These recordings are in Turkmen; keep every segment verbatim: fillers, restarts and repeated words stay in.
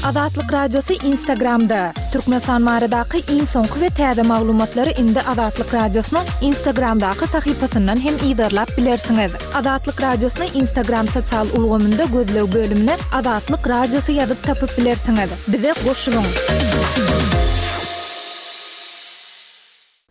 Azatlyk Radiosy Instagramda. Türkmenistan baradaky iň soňky we täze maglumatlary indi Azatlyk Radiosynyň Instagramdaky sahypasyndan hem yzarlap bilersiňiz. Azatlyk Radiosyny Instagram sosial ulgamynda gözleg bölümine Azatlyk Radiosy ýazyp tapyp bilersiňiz. Bize goşulyň.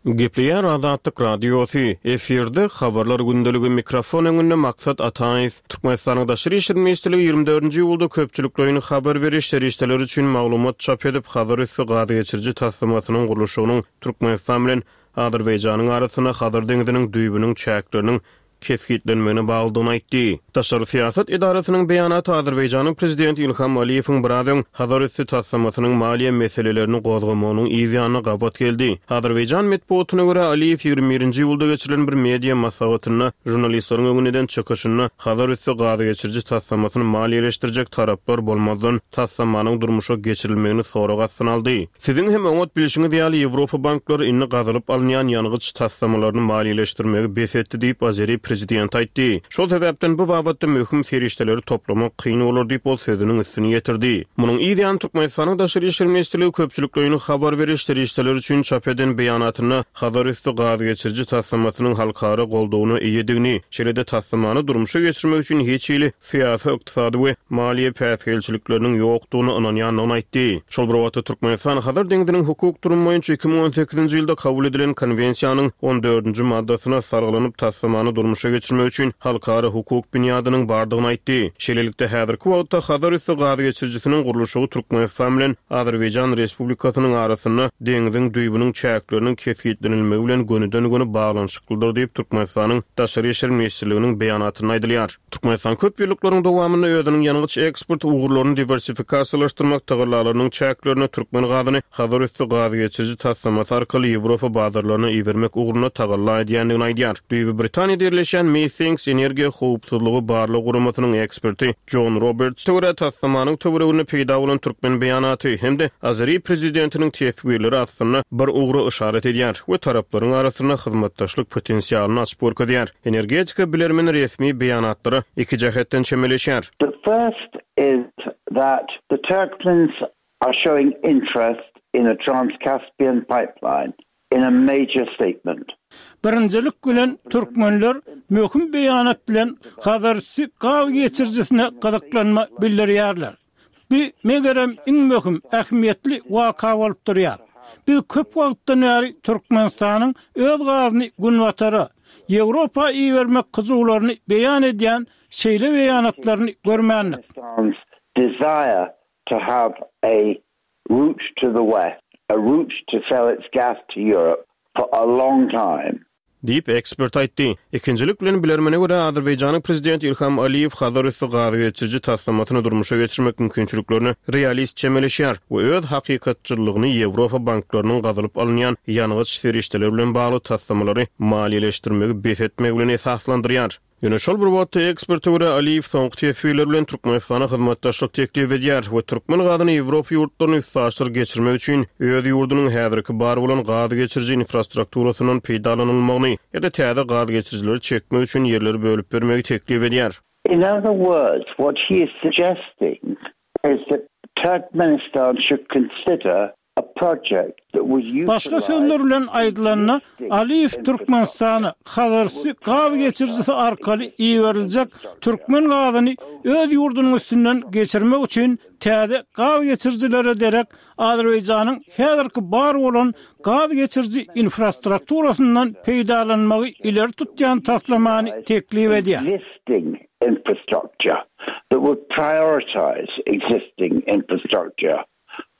Gepleýär Azatlyk Radiosy. Efirde habarlar gündeligi, mikrofon öňünde Maksat Ataýew. Türkmenistanyň Daşary işler ministrligi ýigrimi dördünji iýulda köpçülikleýin habar beriş serişdeleri üçin maglumat çap edip, Hazarüsti gaz geçiriji taslamasynyň gurluşygynyň Türkmenistan bilen Azerbaýjanyň arasynda Hazar deňziniň düýbüniň çäkleriniň kesgitlenmegine baglydygyny aýtdy. Daşary syýasat edarasynyň beýanaty Azerbaýjanyň prezidenti Ilham Aliýewiň biraz öň Hazarüsti taslamasynyň maliýe meselelerini gozgamagynyň yz ýanyna gabat geldi. Azerbaýjan metbugatyna görä, Aliýew ýigrimi birinji iýulda geçirilen bir media maslahatynda žurnalistleriň öňünde eden çykyşynda Hazarüsti gaz geçiriji taslamasyny maliýeleşdirjek taraplar bolmazdan taslamanyň durmuşa geçirilmegini sorag astyna aldy. Siziň hem oňat bilşiňiz ýaly, Ýewropa banklary indi gazylyp alynýan ýangyç taslamalaryny maliýeleşdirmegi bes etdi diýip, azeri prezidenti aýtdy. Şol sebäpden bu babatda möhüm serişdeleri toplamak kyn bolar diýip, ol sözüniň üstüni ýetirdi. Munuň yz ýany Türkmenistanyň Daşary işler ministrligi köpçülikleýin habar beriş serişdeleri üçin çap eden beýanatynda Hazarüsti gaz geçiriji taslamasynyň halkara goldawyna eýedigini, şeýle-de taslamany durmuşa geçirmek üçin hiç hili syýasy, ykdysady we maliýe päsgelçilikleriniň ýokdugyna ynanýandygyny aýtdy. Şol bir wagtda Türkmenistan Hazar deňziniň hukuk durumy boýunça iki müň on sekizinji ýylda kabul edilen konwensiýanyň on dördünji maddasyna salgylanyp taslamany durmuşa geçirmek üçin halkara hukuk binýadynyň bardygyny aýtdy. Şeýlelikde, häzirki wagtda Hazarüsti gaz geçirijisiniň gurluşygy Türkmenistan bilen Azerbaýjan Respublikasynyň arasynda deňziň düýbüniň çäkleriniň kesgitlenilmegi bilen gönüden-göni baglanyşyklydyr diýip, Türkmenistanyň Daşary işler ministrliginiň beýanatynda aýdylýar. Türkmenistan köp ýyllyklaryň dowamynda özüniň ýangyç eksport ugurlaryny diwersifikasiýalaşdyrmak tagallalarynyň çäklerinde türkmen gazyny Hazarüsti gaz geçiriji taslamasy arkaly Ýewropa bazarlaryna ibermek ugrunda tagalla edýändigini aýdýar. Düýbi Britaniýada ýerleşýän Methinks energiýa howpsuzlygy barlag guramasynyň eksperti Jon Roberts görä, taslamanyň töwereginde peýda bolan türkmen beýanaty hem-de azeri prezidentiniň teswirleri aslynda bir ugra yşarat edýär we taraplaryň arasynda hyzmatdaşlyk potensialyny açyp görkezýär. Energetika bilermeni resmi beýanatlara iki jähetden çemeleşýär. The first is that the Turkmens are showing interest in a Trans-Caspian pipeline in a major statement. Birinjilik bilen türkmenler möhüm beýanat bilen Hazarüsti gaz geçirijisine gyzyklanma bildirýärler. Bu megerem iň möhüm ähmiýetli waka bolup durýar. Biz köp wagtdan bäri Türkmenistanyň öz gazyny Günbatara, Ýewropa ibermek hyjuwlaryny beýan edýän şeýle beýanatlaryny görmändik. Desire to have a route to the west, a route to sell its gas to Europe for a long time. Diýip, ekspert aýtdy. Ikinjilik bilen, bilermene görä, Azerbaýjanyň prezidenti Ilham Aliýew Hazarüsti gaz geçiriji taslamasyny durmuşa geçirmek mümkinçiliklerine realist çemeleşýär we öz hakykatçyllygyny Ýewropa banklarynyň gazylyp alynýan ýangyç serişdeleri bilen bagly taslamalary maliýeleşdirmegi bes etmegi bilen esaslandyrýar. Ýöne şol bir wagtda, eksperte görä, Aliýew soňky teswirler bilen Türkmenistana hyzmatdaşlyk teklip edýär we türkmen gazyny Ýewropa ýurtlaryna üstaşyr geçirmek üçin öz ýurdunyň häzirki bar bolan gaz geçiriji infrastrukturasyndan peýdalanylmagyny ýa-da täze gaz geçirijileri çekmek üçin ýerleri bölüp bermegi teklip edýär. In other words, what he is suggesting is that Turkmenistan should consider Başga sözler bilen aýdylanda, Aliýew Türkmenistana Hazarüsti gaz geçirijisi arkaly iberiljek türkmen gazyny öz ýurdunyň üstünden geçirmek üçin täze gaz geçirijilere derek Azerbaýjanyň häzirki bar bolan gaz geçiriji infrastrukturasyndan peýdalanmagy ileri tutýan taslamany teklip edýär. Infrastructure that would prioritize existing infrastructure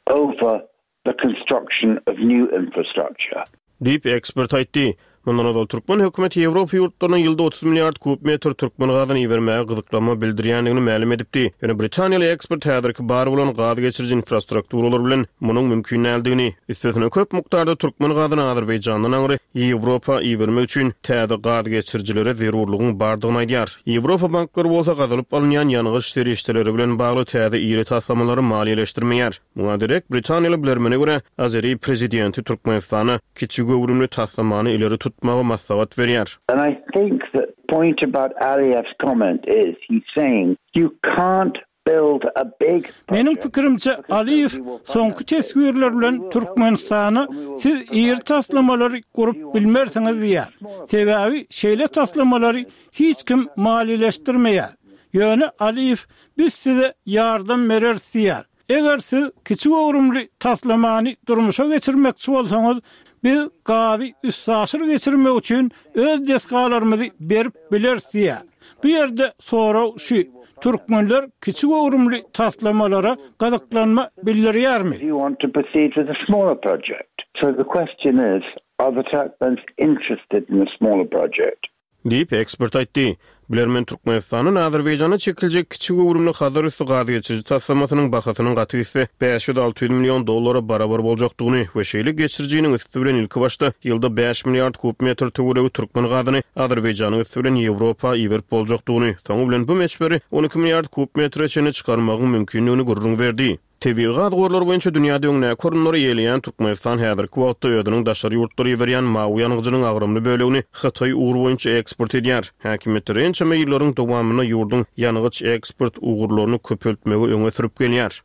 over the construction of new infrastructure. Diýip, ekspert aýtdy. Mundan ozal türkmen hökümeti Ýewropa ýurtlaryna ýylda otuz milliard kub metr türkmen gazyny ibermäge gyzyklanma bildirýändigini mälim edipdi. Ýöne britaniýaly ekspert häzirki bar bolan gaz geçiriji infrastrukturalar bilen munuň mümkin däldigini, üstesine köp mukdarda türkmen gazyny Azerbaýjandan aňry Ýewropa ibermek üçin täze gaz geçirijilere zerurlygyň bardygyny aýdýar. Ýewropa banklary bolsa gazylyp alynýan ýangyç serişdeleri bilen bagly täze iri taslamalary maliýeleşdirmeýär. Muňa derek, britaniýaly bilermene görä, azeri prezidenti Türkmenistana kiçi göwrümli taslamany ileri tutmagy maslahat berýär. And I think the point about Aliyev's comment is he's saying you can't build a big Meniň pikirimçe Aliýew soňky teswirler bilen Türkmenistana siz iri taslamalary gurup bilmersiňiz diýär. Sebäbi şeýle taslamalary hiç kim maliýeleşdirmeýär. Ýöne Aliýew biz size ýardam bereris diýär. Eger siz kiçi göwrümli taslamany durmuşa geçirmekçi bolsaňyz, biz gazy üstaşyr geçirmek üçin öz desgalarymyzy berip bileris diýär. Bu ýerde sorag şu: Türkmenler kiçi göwrümli taslamalara gyzyklanma bildirýärmi? Do you want to proceed with a smaller project? So the question is, are the Turkmens interested in a smaller project? Diýip ekspert aýtdy. Bilermen Türkmenistanyň Azerbaýjana çekiljek kiçi göwrümli Hazar üsti gaz geçiriji taslamasynyň bahasynyň gaty gitse bäş ýüz alty ýüz million dollara barabar boljakdygyny we şeýle geçirijiniň üsti bilen ilki başda ýylda bäş milliard kub metr töweregi türkmen gazyny Azerbaýjanyň üsti bilen Ýewropa iberip boljakdygyny, soňy bilen bu möçberi on iki milliard kub metre çenli çykarmagyň mümkindigini gürrüň berdi. Tebigy gaz gorlary boýunça dünýäde öňdäki orunlary eýeleýän Türkmenistan häzirki wagtda özüniň daşary ýurtlara iberýän mawy ýangyjynyň agramly bölegini Hytaý ugry boýunça eksport edýär. Häkimiýetler ençeme ýyllaryň dowamynda ýurduň ýangyç eksport ugurlaryny köpeltmegi öňe sürüp gelýär.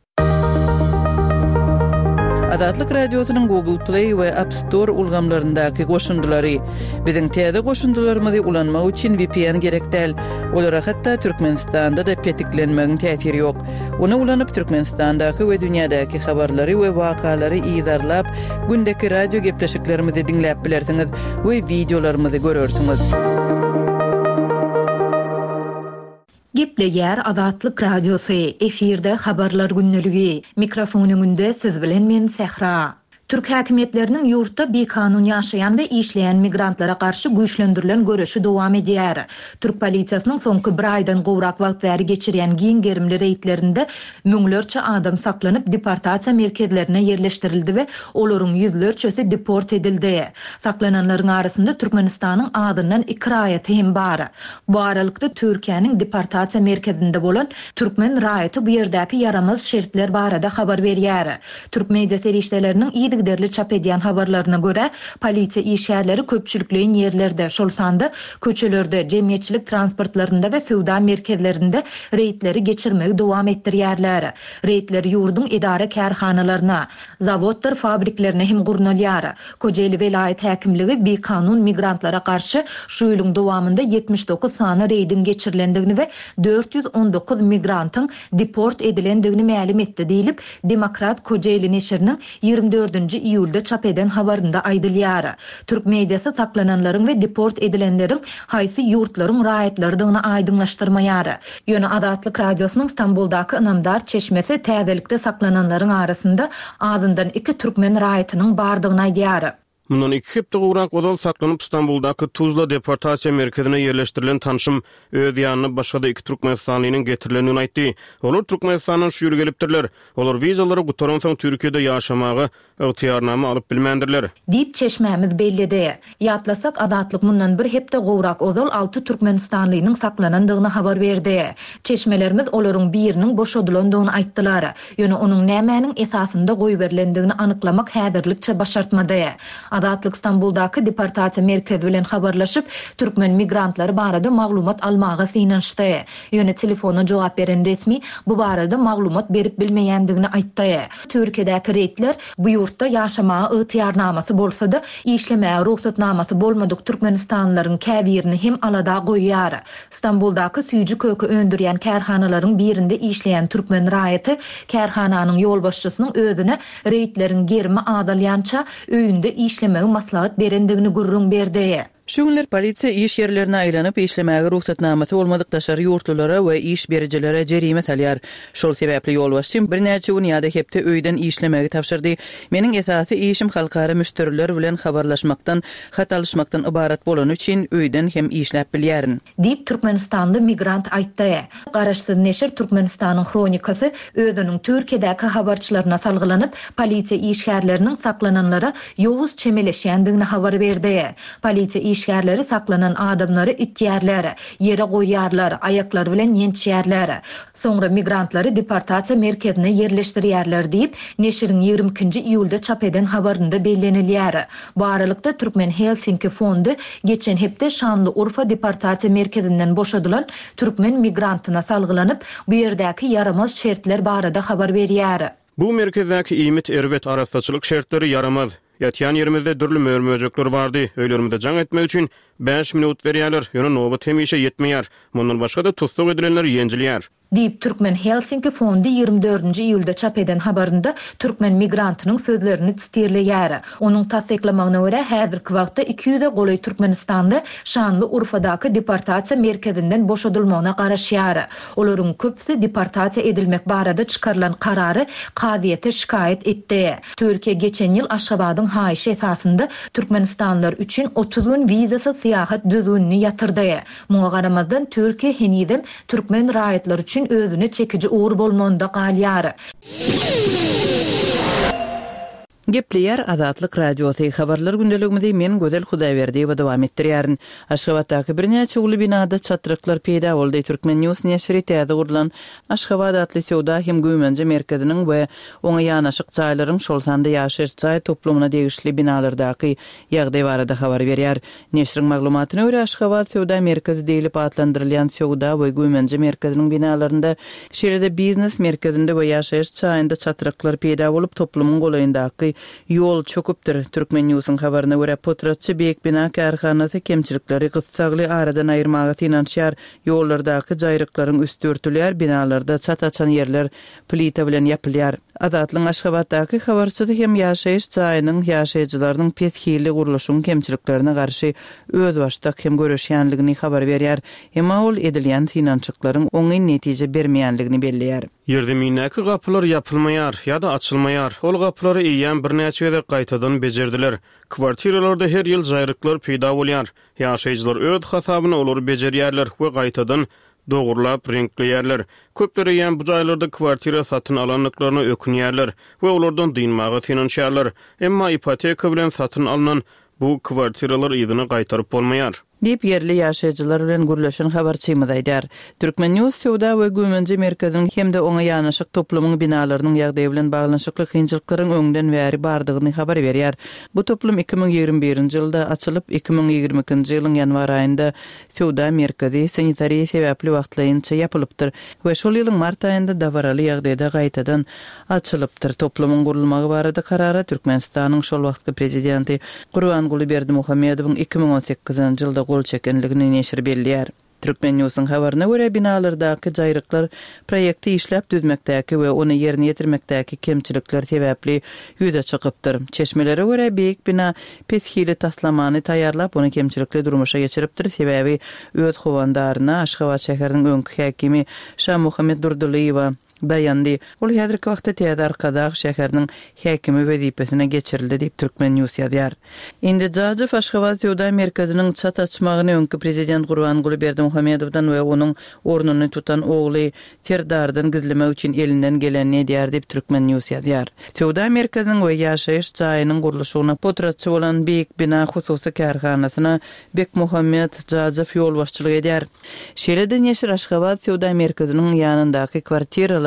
Azatlyk Radiosynyň Google Play we App Store ulgamlaryndaky goşundylary. Biziň täze goşundylarymyzy ulanmak üçin V P N gerek däl. Olara hatda Türkmenistanda da petiklenmegiň täsiri ýok. Ony ulanyp Türkmenistandaky we dünýädäki habarlary we wakalary yzarlap, gündeki radio gepleşiklerimizi diňläp bilersiňiz we videolarymyzy görersiňiz. Gepleýär Azatlyk Radiosy, efirde habarlar günlügi. Mikrofon öňünde siz bilen men Sähra. Türk häkimiýetleriniň ýurtda bikanun ýaşaýan we işleýän migrantlara garşy güýçlendirilen göreşi dowam edýär. Türk polisiýasynyň soňky bir aýdan gowrak wagt bäri geçirýän giň gerimli reýdlerinde müňlerçe adam saklanyp deportasiýa merkezlerine ýerleşdirildi we olaryň ýüzlerçesi deport edildi. Saklananlaryň arasynda Türkmenistanyň adyndan iki raýaty hem bar. Bu aralykda Türkiýäniň deportasiýa merkezinde bolan türkmen raýaty bu ýerdäki ýaramaz şertler barada habar berýär. Türk media serişdeleriniň yzygiderli çap edýän habarlaryna görä, polisiýa işgärleri köpçülikleýin ýerlerde, şol sanda köçelerde, jemgyýetçilik transportlarynda we söwda merkezlerinde reýdleri geçirmegi dowam etdirýärler. Reýdler ýurduň edara kärhanalaryna, zawodlar fabriklerine hem gurnalýar. Kocaeli welaýat häkimligi bikanun migrantlara garşy şu ýylyň dowamynda ýetmiş dokuz sany reýdiň geçirilendigini we dört ýüz on dokuz migrantyň deport edilendigini mälim etdi diýlip, Demokrat Kocaeli neşiriniň ýigrimi dördünji iýulda çap eden habarynda aýdylýar. Türk mediasy saklananlaryň we deport edilenleriň haýsy ýurtlaryň raýatlarydygyny aýdyňlaşdyrmaýar. Ýöne Azatlyk Radiosynyň Stambuldaky ynamdar çeşmesi täzelikde saklananlaryň arasynda azyndan iki türkmen raýatynyň bardygyny aýdýar. Mundan iki hepde gowrak ozal saklanyp Stambuldaky Tuzla deportasiýa merkezine ýerleşdirilen tanşym öz ýanyna başga-da iki Türkmenistanlynyň getirilendigini aýtdy. Olar Türkmenistandan şu ýyl gelipdirler. Olar wizalary gutaransoň Türkiýede ýaşamaga ygtyýarnama alyp bilmändirler. Diýip çeşmämiz belledi. Ýatlasak Azatlyk mundan bir hepde gowrak ozal alty Türkmenistanlynyň saklanandygyny habar berdi. Çeşmelerimiz olaryň biriniň boşadylandygyny aýtdylar. Ýöne onuň nämäniň esasynda goýberilendigini anyklamak häzirlikçe başartmady. Azatlyk Stambuldaky deportasiýa merkezi bilen habarlaşyp, türkmen migrantlary barada maglumat almaga synanyşdy. Ýöne telefona jogap beren resmi bu barada maglumat berip bilmeýändigini aýtdy. Türkiýedäki reýdler bu ýurtda ýaşamaga ygtyýarnamasy bolsa-da, işlemäge rugsatnamasy bolmadyk Türkmenistanlylaryň käbirini hem alada goýýar. Stambuldaky süýji köke öndürýän kärhanalaryň birinde işleýän türkmen raýaty kärhananyň ýolbaşçysynyň özüne reýdleriň gerimi azalýança öýünde işlemegi maslahat berendigini gürrüň berdi. Şu günler polisiýa iş ýerlerine aýlanyp işlemäge rugsatnamasy bolmadyk daşary ýurtlulara we iş berijilere jerime salýar. Şol sebäpli ýolbaşçym birnäçe gün ýa-da hepde öýden işlemegi tabşyrdy. Meniň esasy işim halkara müşderiler bilen habarlaşmakdan, hat alyşmakdan ybarat bolany üçin öýden hem işläp bilýärin. Diýip Türkmenistanly migrant aýtdy. Garaşsyz neşir Türkmenistanyň hronikasy özüniň Türkiýedäki habarçylaryna salgylanyp, polisiýa işgärleriniň saklananlara ýowuz çemeleşýändigini habar berdi. Polisiýa işgärleri saklanan adamlary itýärler, ýere goýýarlar, aýaklary bilen ýençýärler. Soňra migrantlary deportasiýa merkezine ýerleşdirýärler diýip, neşiriň ýigrimi ikinji iýulda çap eden habarynda bellenilýär. Bu aralykda Türkmen Helsinki fondy geçen hepde Şanlyurfa deportasiýa merkezinden boşadylan türkmen migrantyna salgylanyp, bu ýerdäki ýaramaz şertler barada habar berýär. Bu merkezdäki iýmit erbet, arassaçylyk şertleri ýaramaz. Ýatýan ýerimizde dürli mör-möjekler bardy. Öýlerimize jaň etmek üçin bäş minut berýärler, ýöne nobat hemişe ýetmeýär. Mundan başga-da tussag edilenler ýenjilýär. Diýip, Türkmen Helsinki fondy ýigrimi dördünji iýulda çap eden habarynda türkmen migrantynyň sözlerini sitirleýär. Onuň tassyklamagyna görä, häzirki wagtda iki ýüze golaý Türkmenistanly Şanlyurfadaky deportasiýa merkezinden boşadylmagyna garaşýar. Olaryň köpüsi deportasiýa edilmek barada çykarylan karary kazyýete şikaýat etdi. Türkiýe geçen ýyl Aşgabadyň haýyşy esasynda Türkmenistanlylar üçin otuz gün wizasyz syýahat düzgünini ýatyrdy. Muňa garamazdan Türkiýe henizem türkmen raýatlary üçin özüne çekiji ugur bolmagynda galýar. Gepleýär Azatlyk Radiosy. Habarlar gündeligimizi men Gözel Hudaýberdiýewa dowam etdirýärin. Aşgabatdaky birnäçe uly binada çatryklar peýda boldy. Türkmen News neşiri täze gurlan Aşgabat atly söwda hem güýmenje merkeziniň we oňa ýanaşyk jaýlaryň, şol sanda ýaşaýyş jaý toplumyna degişli binalardaky ýagdaý barada habar berýär. Neşiriň maglumatyna görä, Aşgabat söwda merkezi diýlip atlandyrylýan söwda we güýmenje merkeziniň binalarynda, şeýle-de biznes merkezinde we ýaşaýyş jaýynda çatryklar peýda bolup, toplumyň golaýyndaky ýol çöküpdir. Türkmen News'yň habaryna görä, potratçy Beýik bina kärhanasy kemçilikleri gyssagly aradan aýyrmaga synanyşýar. Ýollardaky jaýryklaryň üsti örtülýär, binalarda çat açan ýerler plita bilen ýapylýar. Azatlygyň Aşgabatdaky habarçysy hem ýaşaýyş jaýynyň ýaşaýjylarynyň pes hilli gurluşyň kemçiliklerine garşy özbaşdak hem göreşýänligini habar berýär. Emma ol edilýän synanyşyklaryň oňyn netije bermeýänligini belleýär. Ýerzemindäki gapylar ýapylmaýar ýa-da açylmaýar. Ol gapylary eýýäm birnäçe gezek gaýtadan bejerdiler. Kwartiralarda her ýyl jaýryklar peýda bolýar. Ýaşaýjylar öz hasabyna olary bejerýärler we gaýtadan dogurlap reňkleýärler. Köpler eýýäm bu jaýlarda kwartira satyn alandyklaryna ökünýärler we olardan dynmaga synanyşýarlar. Emma ipoteka bilen satyn alynan bu kwartiralar yzyna gaýtaryp bolmaýar. Diýip ýerli ýaşaýjylar bilen gürleşen habarçymyz aýdar. Türkmen News söwda we güýmenje merkeziniň hem-de oňa ýanaşyk toplumyň binalarynyň ýagdaýy bilen baglanyşykly kynçylyklaryň öňden bäri bardygyny habar berýär. Bu toplum iki müň ýigrimi birinji ýylda açylyp, iki müň ýigrimi ikinji ýylyň ýanwar aýynda söwda merkezi sanitariýa sebäpli wagtlaýynça ýapylypdyr we şol ýylyň mart aýynda dabaraly ýagdaýda gaýtadan açylypdyr. Toplumyň gurulmagy barada karara Türkmenistanyň şol wagtky prezidenti Gurbanguly Berdimuhamedowyň iki müň on sekizinji ýylda gol çekenligini neşir belleýär. Türkmen News'yň habaryna görä, binalardaky jaýryklar proýekti işläp düzmekdäki we ony ýerine ýetirmekdäki kemçilikler sebäpli ýüze çykypdyr. Çeşmelere görä, beýik bina pes hili taslamany taýýarlap, ony kemçilikli durmuşa geçiripdir. Sebäbi öz howandaryna Aşgabat şäheriniň öňki häkimi Şamuhammet Durdylyýewa daýandy. Ol häzirki wagtda Täze Arkadag şäheriniň häkimi wezipesine geçirildi diýip Türkmen News ýazýar. Indi Jajow Aşgabat söwda merkeziniň çat açmagyny öňki prezident Gurbanguly Berdimuhamedowdan we onuň ornuny tutan ogly Serdardan gizlemek üçin elinden gelenini edýär diýip Türkmen News ýazýar. Söwda merkeziniň we ýaşaýyş jaýynyň gurluşygyna potratçy bolan Beýik bina hususy kärhanasyna Bekmuhammet Jajow ýolbaşçylyk edýär. Şeýle-de neşir Aşgabat söwda merkeziniň ýanyndaky kwartiralary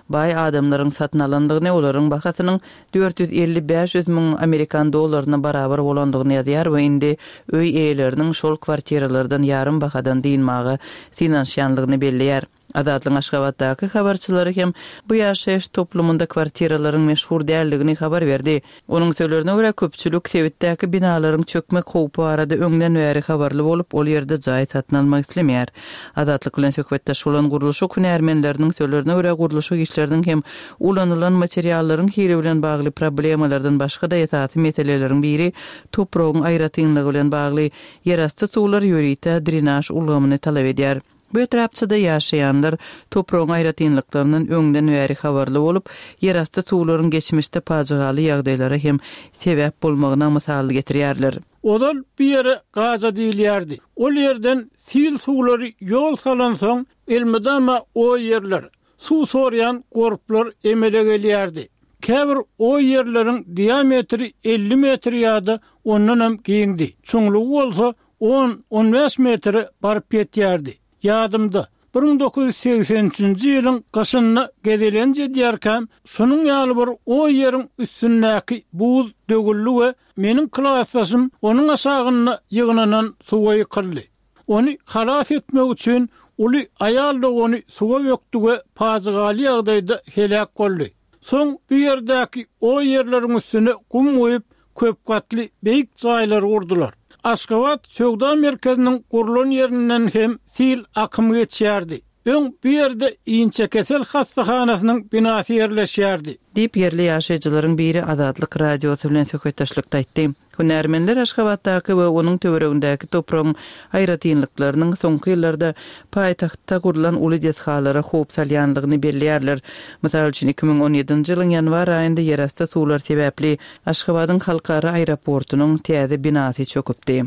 baý adamlaryň satyn alandygyny, olaryň bahasynyň dört ýüz elli bäş ýüz müň amerikan dollaryna barabar bolandygyny ýazýar we indi öý eýeleriniň şol kwartiralardan ýarym bahadan dynmaga synanyşýanlygyny belleýär. Azatlygyň Aşgabatdaky habarçylary hem bu ýaşaýyş toplumynda kwartiralaryň meşhur däldigini habar berdi. Onuň sözlerine görä, köpçülik sebitdäki binalaryň çökmek howpy barada öňden bäri habarly bolup, ol ýerde jaý satyn almak islemeýär. Azatlyk bilen söhbetdeş bolan gurluşyk hünärmenleriniň sözlerine görä, gurluşyk işleriniň hem ulanylan materiallaryň hili bilen bagly problemalardan başga-da esasy meseleleriň biri topragyň aýratynlygy bilen bagly ýerasty suwlar ýörite drenaž ulgamyny talap edýär. Bu etrapçada ýaşaýanlar topragyň aýratynlyklaryndan öňden bäri habarly bolup, ýerasty suwlaryň geçmişde pajygaly ýagdaýlara hem sebäp bolmagyna mysal getirýärler. Ozal bir ýere gaza diýilýärdi. Ol ýerden sil suwlary ýol salansoň, elmydama o ýerler suw sorýan gorplar emele gelýärdi. Käbir o ýerleriň diametri elli metr ýa-da ondan hem giňdi. Çuňlugy bolsa on on bäş metre baryp ýetýärdi. Ýadymda, bir müň dokuz ýüz segsen üçünji ýylyň gyşynda gezelenç edýärkäm, şunuň ýaly bir o ýeriň üstündäki buz döwüldi we meniň klasdaşym onuň aşagynda ýygnanan suwa ýykyldy. Ony halas etmek üçin uly aýal dogany suwa bökdi we pajygaly ýagdaýda heläk boldy. Soň bu ýerdäki o ýerleriň üstüne gum goýup, köp gatly beýik jaýlar gurdular. Aşgabat söwda merkeziniň gurlan ýerinden hem sil akym geçýärdi. Öň bu ýerde Inçekesel hassahanasynyň binasy ýerleşýärdi. Diýip ýerli ýaşaýjylaryň biri Azatlyk Radiosy bilen söhbetdeşlikde aýtdy. Hünärmenler Aşgabatdaky we onuň töweregindäki topragyň aýratynlyklarynyň soňky ýyllarda paýtagtda gurlan uly desgalara howp salýanlygyny belleýärler. Mysal üçin iki müň on ýedinji ýylyň ýanwar aýynda ýerasty suwlar sebäpli Aşgabadyň halkara aeroportunyň täze binasy çöküpdi.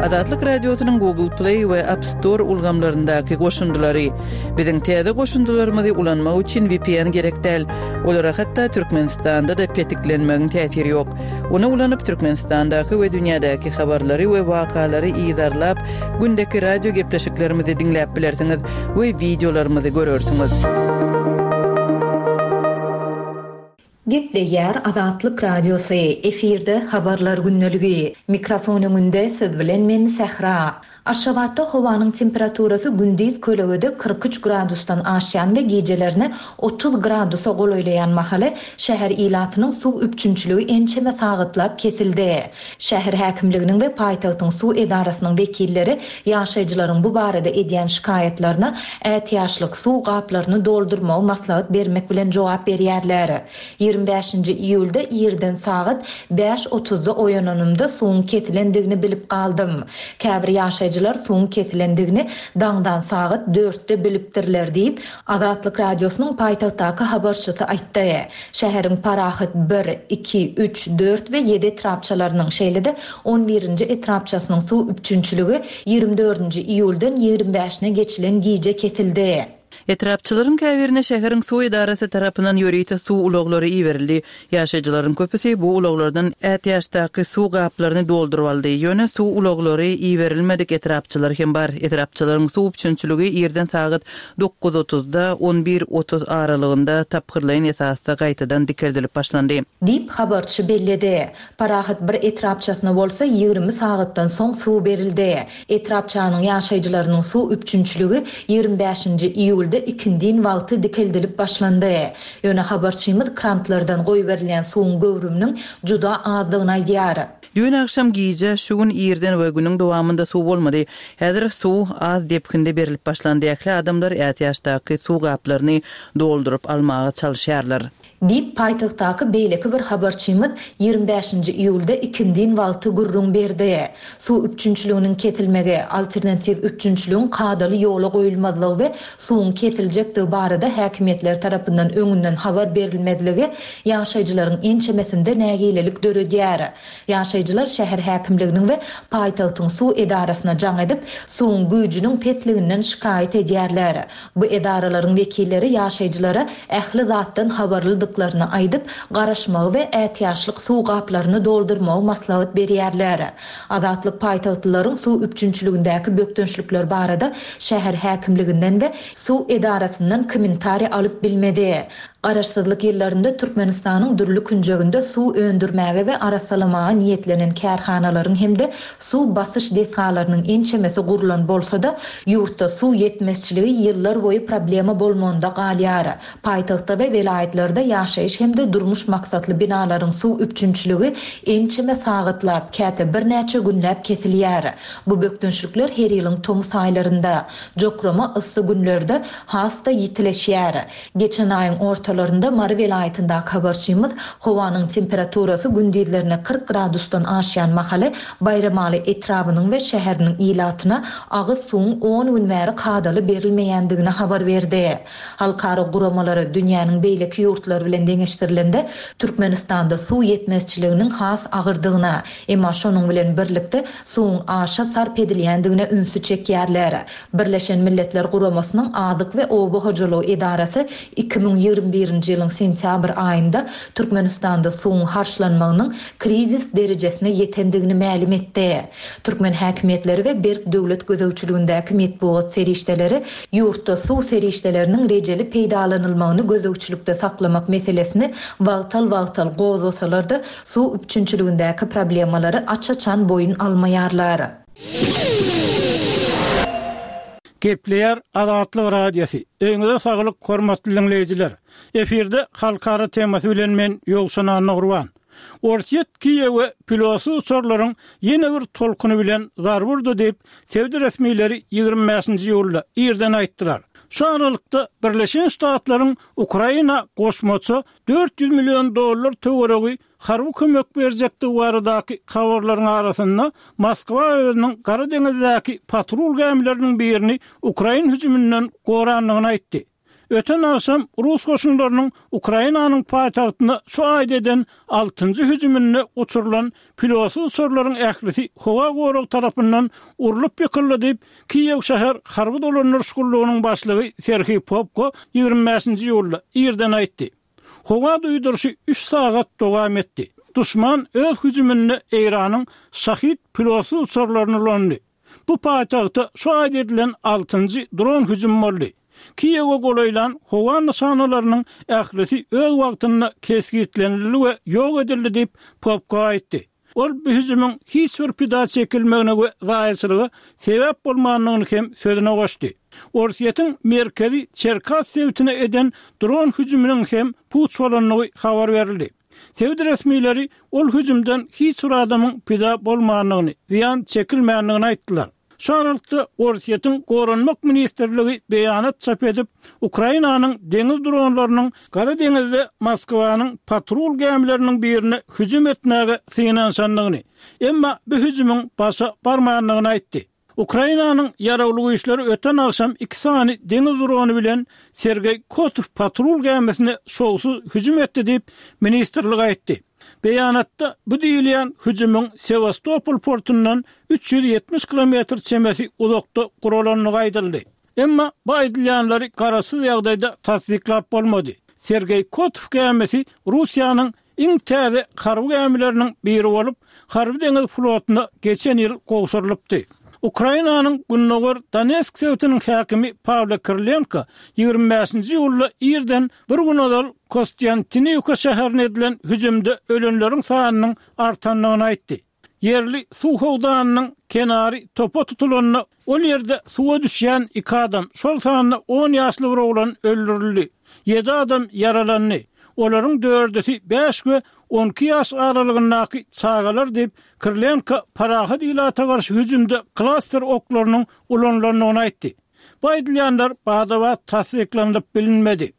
Azatlyk Radiosynyň Google Play we App Store ulgamlaryndaky goşundylary. Biziň täze goşundylarymyzy ulanmak üçin V P N gerek däl. Olara hatda Türkmenistanda-da petiklenmegiň täsiri ýok. Ony ulanyp Türkmenistandaky we dünýädäki habarlary we wakalary yzarlap, gündeki radio gepleşiklerimizi diňläp bilersiňiz we videolarymyzy görersiňiz. Gepleýär Azatlyk Radiosy, efirde habarlar gündeligi. Mikrofon öňünde siz bilen men Sähra. Aşgabatda howanyň temperaturasy gündiz kölegede kyrk üç gradusdan aşýan we gijelerini otuz gradusa golaýlaýan mahaly şäher ilatynyň suw üpjünçiligi ençeme sagatlap kesildi. Şäher häkimliginiň we paýtagtyň suw edarasynyň wekilleri ýaşaýjylaryň bu barada edýän şikaýatlaryna ätiýaçlyk suw gaplaryny doldurmagy maslahat bermek bilen jogap berýärler. Ýigrimi bäşinji iýulda irden sagat bäş otuzda oýananymda suwuň kesilendigini bilip galdym. Käbir ýaşaýjylar suwuň kesilendigini daňdan sagat dörtde bilipdirler diýip, Azatlyk Radiosynyň paýtagtdaky habarçysy aýtdy. Şäheriň Parahat bir, iki, üç, dört we ýedi etrapçalarynyň, şeýle-de on birinji etrapçasynyň suw üpjünçiligi ýigrimi dördünji iýuldan ýigrimi bäşine geçilen gije kesildi. Etrapçylaryň käbirine şäheriň suw edarasy tarapyndan ýörite suw ulaglary iberildi. Ýaşaýjylaryň köpüsi bu ulaglardan ätiýaçdaky suw gaplaryny dolduryp aldy. Ýöne suw ulaglary iberilmedik etrapçylar hem bar. Etrapçylaryň suw üpjünçiligi irden sagat dokuz otuzda on bir otuz aralygynda tapgyrlaýyn esasda gaýtadan dikeldilip başlandy. Diýip habarçy belledi. Parahat bir etrapçasyna bolsa ýigrimi sagatdan soň suw berildi. Etrapçanyň ýaşaýjylarynyň suw üpjünçiligi ýigrimi bäşinji iýulda ikindin wagty dikeldilip başlandy. Ýöne habarçymyz krantlardan goýberilýän suwuň göwrüminiň juda azdygyny aýdýar. Düýn akşam gije şu gün irden we günüň dowamynda suw bolmady. Häzir suw az depginde berilip başlandy. Ähli adamlar ätiýaçdaky suw gaplaryny dolduryp almaga çalyşýarlar. Diýip paýtagtdaky beýleki bir habarçymyz ýigrimi bäşinji iýulda ikindin wagty gürrüň berdi. Suw üpjünçiliginiň kesilmegi, alternatiw üpjünçiligiň kadaly ýola goýulmazlygy we suwuň kesiljekdigi barada häkimiýetler tarapyndan öňünden habar berilmezligi ýaşaýjylaryň ençemesinde nägilelik döredýär. Ýaşaýjylar şäher häkimliginiň we paýtagtyň suw edarasyna jaň edip, suwuň güýjüniň pesliginden şikaýat edýärler. Bu edaralaryň wekilleri ýaşaýjylara ähli zatdan habarlydyklaryny aýdyp, garaşmagy we ätiýaçlyk suw gaplaryny doldurmagy maslahat berýärler. Azatlyk paýtagtlylaryň suw üpjünçiligindäki bökdençlikler barada şäher häkimliginden we suw edarasyndan kommentariý alyp bilmedi. Garaşsyzlyk ýyllarynda Türkmenistanyň dürli künjeginde suw öndürmäge we arassalamaga niýetlenen kärhanalaryň hem-de suw basyş desgalarynyň ençemesi gurlan bolsa-da, ýurtda suw ýetmezçiligi ýyllar boýy problema bolmagynda galýar. Paýtagtda we welaýatlarda ýaşaýyş hem-de durmuş maksatly binalaryň suw üpjünçiligi ençeme sagatlap, käte birnäçe günläp kesilýär. Bu bökdençlikler her ýylyň tomus aýlarynda, jokrama yssy günlerde has-da ýitileşýär. Geçen aýyň ortalarynda Mary welaýatyndaky habarçymyz howanyň temperaturasy gündizlerine kyrk gradusdan aşýan mahaly Baýramaly etrabynyň we şäheriniň ilatyna agyz suwuň on gün bäri kadaly berilmeýändigini habar berdi. Halkara guramalary dünýäniň beýleki ýurtlary bilen deňeşdirilende Türkmenistanda suw ýetmezçiliginiň has agyrdygyna, emma şonuň bilen birlikde suwuň aşa sarp edilýändigine ünsi çekýärler. Birleşen Milletler Guramasynyň Azyk we Oba hojalygy edarasy iki müň ýigrimi birinji birinji ýylyň sentýabr aýynda Türkmenistanda suwuň harçlanmagynyň krizis derejesine ýetendigini mälim etdi. Türkmen häkimiýetleri we berk döwlet gözegçiligindäki metbugat serişdeleri ýurtda suw serişdeleriniň rejeli peýdalanylmagyny gözegçilikde saklamak meselesini wagtal-wagtal gozgasalar-da, suw üpjünçiligindäki problemalary aç-açan boýun almaýarlar. Gepleýär Azatlyk Radiosy. Öýüňize saglyk, hormatly diňleýjiler. Efirde halkara temasy bilen men Ýowşan Annagurban. Orsýet Kiýewe pilotsyz uçarlaryň ýene bir tolkuny bilen zarba urdy diýip, sebit resmileri ýigrimi bäşinji iýulda irden aýtdylar. Şu aralykda Birleşen Ştatlaryň Ukraina goşmaça dört ýüz million dollar töweregi harby kömek berjekdigi baradaky habarlaryň arasynda Moskwa özüniň Gara deňizdäki patrul gämileriniň birini ukrain hüjüminden gorandygyny aýtdy. Öten agşam rus goşunlarynyň Ukrainanyň paýtagtyna şu aýda eden altynjy hüjüminde uçurylan pilotsyz uçarlaryň ählisi howa goragy tarapyndan urlup ýykyldy diýip, Kiýew şäher harby dolandyryş gullugynyň başlygy Serhiý Popko ýigrimi bäşinji iýulda irden aýtdy. Howa duýduryşy üç sagat dowam etdi. Duşman öz hüjüminde Eýranyň Şahid pilotsyz uçarlaryny ulandy. Bu paýtagta şu aýda edilen altynjy dron hüjümi boldy. Kiýewe golaýlan howa nyşanalarynyň ählisi öz wagtynda kesgitlenildi we ýok edildi diýip, Popko aýtdy. Ol bu hüjümiň hiç bir pida çekilmegine we zaýaçylyga sebäp bolmandygyny hem sözüne goşdy. Orsýetiň merkezi Çerkas sebitine eden dron hüjüminiň hem puç bolandygy habar berildi. Sebit resmileri ol hüjümden hiç bir adamyň pida bolmandygyny, zyýan çekilmändigini aýtdylar. Şu aralykda Orsýetiň Goranmak ministrligi beýanat çap edip, Ukrainanyň deňiz dronlarynyň Gara deňizde Moskwanyň patrul gämileriniň birine hüjüm etmäge synanyşandygyny, emma bu hüjümiň başa barmandygyny aýtdy. Ukrainanyň ýaragly güýçleri öten agşam iki sany deňiz drony bilen Sergeý Kotow patrul gämisine şowsuz hüjüm etdi diýip, ministrlik aýtdy. Beýanatda bu diýilýän hüjümiň Sewastopol portundan üç ýüz ýetmiş kilometr çemesi uzakda guralandygy aýdyldy. Emma bu aýdylýanlary garaşsyz ýagdaýda tassyklap bolmady. Sergeý Kotow gämisi Russiýanyň iň täze harby gämileriniň biri bolup, harby-deňiz flotuna geçen ýyl gowşurylypdy. Ukrainanyň gündogar Donetsk sebitiniň häkimi Pawlo Kirilenko ýigrimi bäşinji iýulda irden bir gün ozal Kostýantiniwka şäherine edilen hüjümde ölenleriň sanynyň artandygyny aýtdy. Ýerli suw howdanynyň kenary topa tutulanda, ol ýerde suwa düşýän iki adam, şol sanda on ýaşly bir oglan öldürildi. Ýedi adam ýaralandy. Olaryň dördüsi bäş we on iki ýaş aralygyndaky çagalar diýip, Kirilenko parahat ilata garşy hüjümde klaster oklarynyň ulanylandygyny aýtdy. Bu aýdylýanlar bada-bat tassyklanylyp bilinmedi.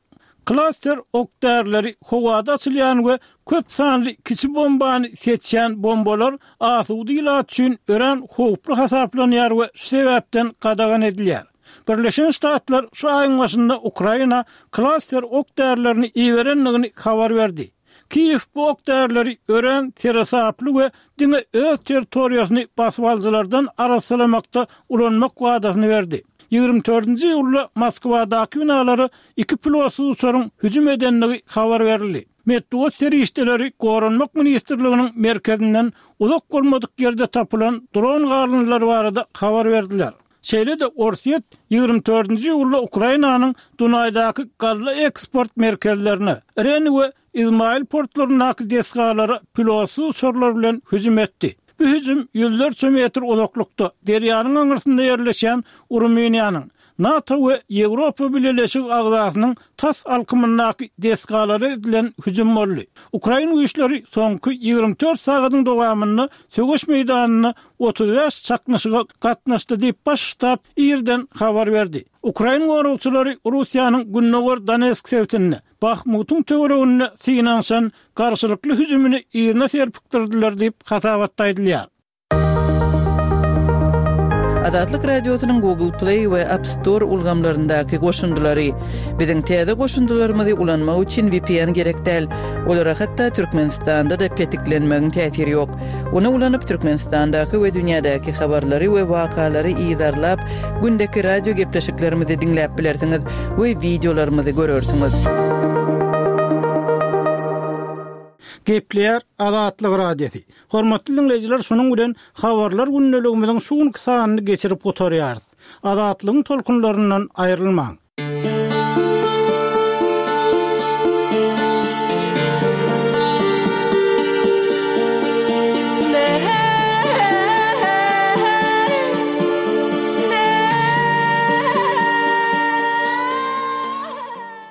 Klaster ok-därileri howada açylýan we köp sanly kiçi bombany seçýän bombalar asuda ilat üçin örän howply hasaplanýar we şu sebäpden gadagan edilýär. Birleşen Ştatlar şu aýyň başynda Ukraina klaster ok-därilerini iberendigini habar berdi. Kiýew bu ok-därileri örän seresaply we diňe öz territoriýasyny basyp alyjylardan arassalamakda ulanmak wadasyny berdi. Ýigrimi dördünji iýulda Moskwadaky binalara iki pilotsyz uçaryň hüjüm edendigi habar berildi. Metbugat serişdeleri Goranmak ministrliginiň merkezinden uzak bolmadyk ýerde tapylan dron galyndylary barada habar berdiler. Şeýle-de Orsýet ýigrimi dördünji iýulda Ukrainanyň Dunaýdaky galla eksport merkezlerine, Reni we Izmail portlaryndaky desgalara pilotsyz uçarlar bilen hüjüm etdi. Bu hüjüm ýüzlerçe metr uzaklykda, derýanyň aňyrsynda ýerleşýän Rumyniýanyň, NATO we Ýewropa Bileleşigi agzasynyň tas alkymyndaky desgalara edilen hüjüm boldy. Ukrain güýçleri soňky ýigrimi dört sagadyň dowamynda söweş meýdanynda otuz bäş çaknyşyga gatnaşdy diýip, Baş ştab irden habar berdi. Ukrain goragçylary Russiýanyň gündogar Donetsk sebitinde, Bahmutyň töwereginde synanyşan garşylykly hüjümini yzyna serpikdirdiler diýip, hasabatda aýdylýar. Azatlyk Radiosynyň Google Play we App Store ulgamlaryndaky goşundylary. Biziň täze goşundylarymyzy ulanmak üçin V P N gerek däl. Olara hatda Türkmenistanda-da petiklenmegiň täsiri ýok. Ony ulanyp Türkmenistandaky we dünýädäki habarlary we wakalary yzarlap, gündeki radio gepleşiklerimizi diňläp bilersiňiz we wideolarymyzy görersiňiz. Gepleýär Azatlyk Radiosy. Hormatly diňleýjiler, şunuň bilen Habarlar gündeligimiziň şu günki sanyny geçirip gutarýarys. Azatlygyň tolkunlaryndan aýrylmaň.